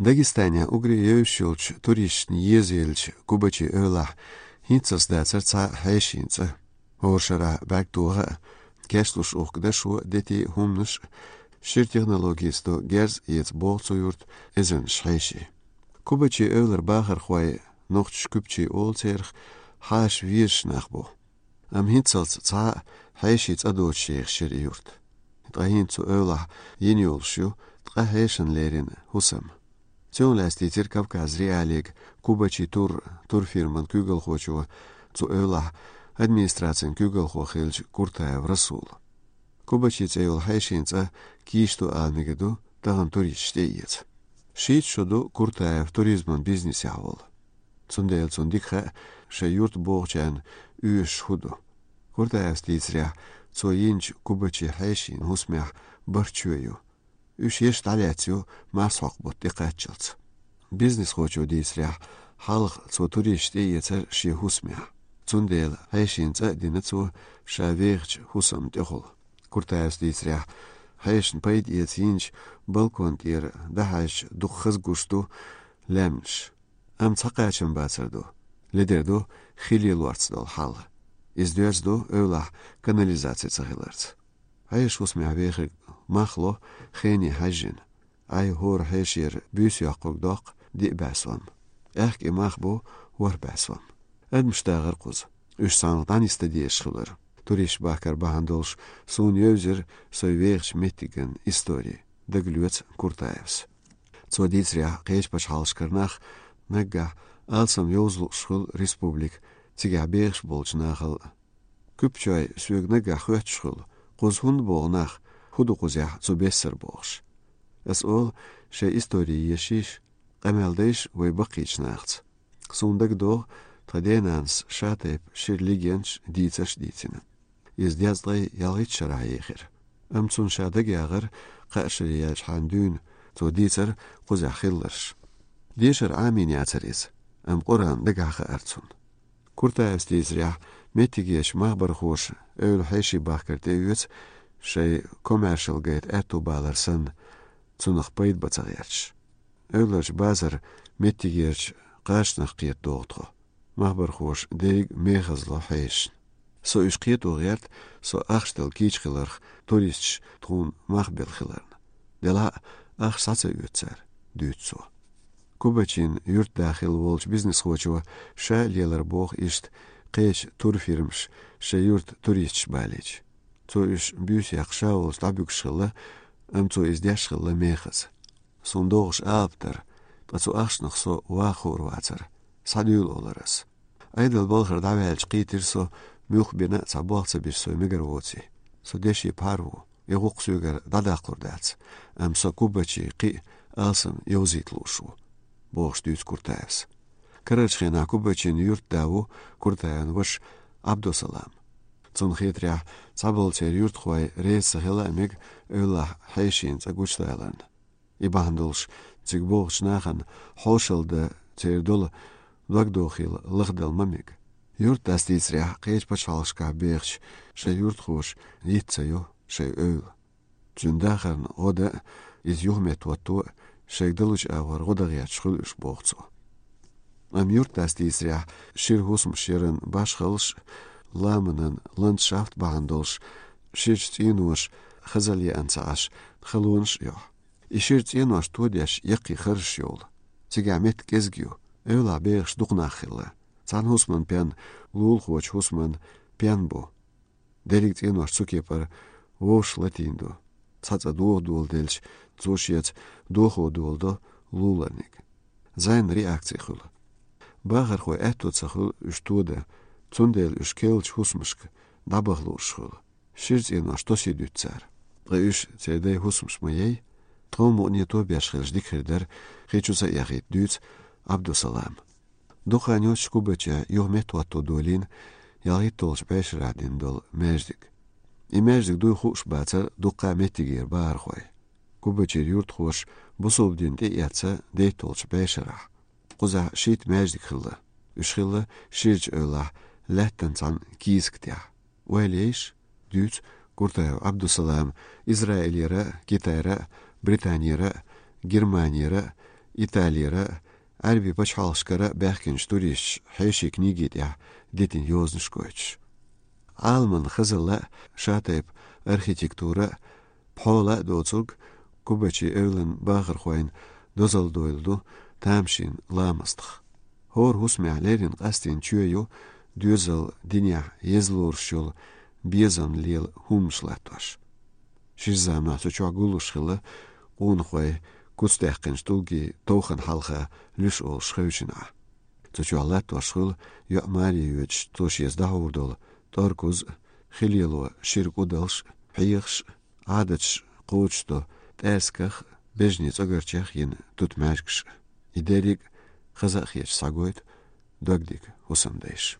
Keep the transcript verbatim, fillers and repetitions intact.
Дагестане уггаре евзаш йолча туристашна езаелча Кубачи эвлахь хӀинццалц дацар цхьа хьешийн цӀа. ХӀора шарахь бӀаьрг тоха а, кечлуш ухка дашо а, дети а, хӀуманаш а, шира технологеца до герз а эца, боху цу юрта эзарнаш хьеший. Кубачи эвлара бахархой, нохчаша куьпчий олу церах, хьаша везаш нах бу. Амма хӀинццалц цхьа а хьешийн цӀа доцуш ехаш яра и юрт. Ткъа хӀинца цу эвлахь йина йолуш ю ткъа хьешана лерина хӀусам. Цунах лаьцна дийцира Кавказ.Реалиига Кубачи тур турфирман куьйгалхочо, цу эвлахь администрацин куьйгалхо хиллачу Куртаев Расула. Кубачи цӀе йолу хьешийн цӀа кийча ду ала мегар ду тахана туристаш тӀеэца. Шийтта шо ду Куртаев туризман бизнесехь волу. Цундела цунна дика хаьа шайн юрт бохучарна оьшуш хӀун ду. Куртаевс дийцарехь, цо йинчу Кубачи хьешийн хӀусамехь бархӀ чоь ю. Уьш еш дӀалаьцна ю марсхьокху бутт тӀекхаччалц. Бизнесхочо дийцарехь, хьалха цо туристаш тӀеэцара шен хӀусамехь. Цундела хьешийн цӀа а дина цо ша вехачу хӀусамна тӀехула. Куртаевс дийцарехь, хьешана пайда эца йинчу балкон тӀера дӀахьаьжча дукха хаза гуш ду лаьмнаш. Амма цхьа кхачам бацар ду. Ледара ду хи лелорца долу хьал. Иза доьзна ду эвлахь канализаци ца хиларца. Хьешан хӀусамехь вехарг мах ло хене хьаьжжина. Ай хӀора хьешера буьйса йоккхург доккху диъ бӀе сом. Аьхка и мах бу ворхӀ бӀе сом. Адамаш дагӀара кхуза. Уьш цхьаьнах дӀанисдан дезаш хилар. Туристаш бахкар бахьана долуш суна евзира сайн вехачу меттиган истори, дагалоьцу Куртаевс. Цо дийцарехь, кхечу пачхьалкхашкара нах наггахь алсам йовза лууш хуьлу республика, цигахь бехаш болчу нахал а. Куьпчой соьга наггахь хоьттуш хуьлу, кхуза хӀунда богӀу нах, хӀун ду кхузахь цу бессара бохуш. Ас олу, шайн истори ешийша, къамел дайша вай баккхийчу нахаца. Суна дагадогӀу, тхан денанас шатайпа шира легендаш, дийцарш а дийцина. Иза дезткъе ялхитта шарахь ехира. Амма цунна ша дагаяхара кхаа шаре яьлчхьана дуьйна цо дийцар кхузахь хилларш. Дешар Ӏамийна яцара иза, амма Къуръан дагахь хаьара цунна. Куртаевс дийцарехь, меттигерчу махбархоша эвла хьеший бахкар тӀеоьцу шайн коммершал гайта аьтту балар санна, цунах пайда бан ца гӀерташ. Эвларчу базар меттигерчу кхачанах кхета догӀу тхо. Махбархоша дерриг мехазло хьешашна. Со уьш кхето гӀерта, со ахча дала кийча хиларх туристаш тхуна мах белла хиларна. Делахь а ахча схьа ца оьцу цара, дуьйцу цо. Кубачин юьртда хилла волчу бизнесхочо ша лелар боху иштта кхечу турфирмаша шайн юрта туристаш балийча. Цо уьш буьйса яккха ша волчу дӀабуьгуш хилла, амма цо иза деш хилла мехаза. Суна догӀуш алапа дара, ткъа цу ахчанах со ваха хуур вацара, схьадуьйла олура ас. Ӏедал балхара дӀаваьлча кхийтира со, муьлхха бина а цхьа болх ца беш со мегар воций. Со деши пхьар ву, и гӀуллакх соьгара дӀадаккхалур дац, амма со Кубачи кхин а алсам йовзийта лууш ву, бохуш дуьйцу Куртаевс. Карарчу хенахь Кубачин юьртда ву Куртаевн ваша Ӏабдусалам. Цунна хетарехь, цхьаболу церан юьртахой реза ца хила а мега эвлахь хьешийн цӀа гучудаларна. И бахьана долуш, цига богӀучу нахана хьошалла дан церан долу догдохийла лахдала ма мега. Юьртдас дийцарехь, кхечу пачхьалкхашкахь бехачу шайн юьртахоша йиц ца йо шайн эвла. Цуьнан дахарна гӀо дан а, иза юхаметтахӀотто а шайга далучу агӀор гӀо дан гӀерташ хуьлу уьш, боху цо. Амма юьртдас дийцарехь, шира хӀусамаш яран башхаллаш а, ламанан ландшафт бахьана долуш, ширачу цӀеноша хазалла еана ца Ӏаш, халонаш а йохьу. И шира цӀенош тодеш яккхий харжаш йолу. Цигахь меттиг кӀезиг ю, эвлахь бехаш дукха нах хилла. Цхьана хӀусаман пен лулахочу хӀусаман пен бу. Дерриг цӀенош цу кепара вовшах латийна ду. Цхьа цӀа дохо доладелча, цо шеца дохо доладо луларниг. Зайна реакци хуьлу. Бахархойн аьтто ца хуьлу уьш тодан, цундела уьш керлачу хӀусамашка дӀабаха лууш хуьлу. Шира цӀенош тосий дуьту цара. Ткъа уьш церан дайн хӀусамаш ма яй, тхов мукъане тобеш хилча дика хир дара, хи чу ца эхийта, дуьйцу Ӏабдусалама. Дукха хан йоццуш Кубачехь юхаметтахӀотто долийна ялхитталгӀачу бӀешарахь дина долу маьждиг. И маьждиг дуй хууш бацара дуккха а меттигера бахархой. Кубачера юьртахоша бусалба дин тӀеэцна дейтталгӀачу бӀешарахь. Кхузахь шийтта маьждиг хилла. Уьш хилла ширачу эвлахь лаьттан цхьана кийсак тӀехь. Ойла ейша, дуьйцу Куртаев Ӏабдусалама, Израилера а, Китайра а, Британера а, Германера а, Италера, Ӏарбий пачхьалкхашкара баьхкинчу туристаша хьеший книги тӀехь дитина йозанаш гойтуш. Ӏаламан хазалла а, шатайпа архитектура а, пхьола а доцург Кубачи эвлан бахархойн дозалла дойла ду тамашийна ламастах. ХӀора хӀусамехь леррина къастийна чоь ю доьзал динехь еза лоруш йолу безам лела хӀуманаш латтош. Шира заманахь цу чохь гуллуш хилла къонахой куц даьккхинчу тӀулгийн товхан хьалха луьш олуш хевшина Ӏа. Цу чохь латтош хуьлу йоӀ маре йоьдуш, цо шеца дӀахьур долу тӀоркуз а, хи лело шира кӀудалш а, хьехаш а, Ӏадаташ кхочушдо тӀаьрсигах а, бежнийн цӀогарчех а йина тутмаьжгаш а. И дерриг а хаза а хеташ схьагойту догдига хӀусамдайша.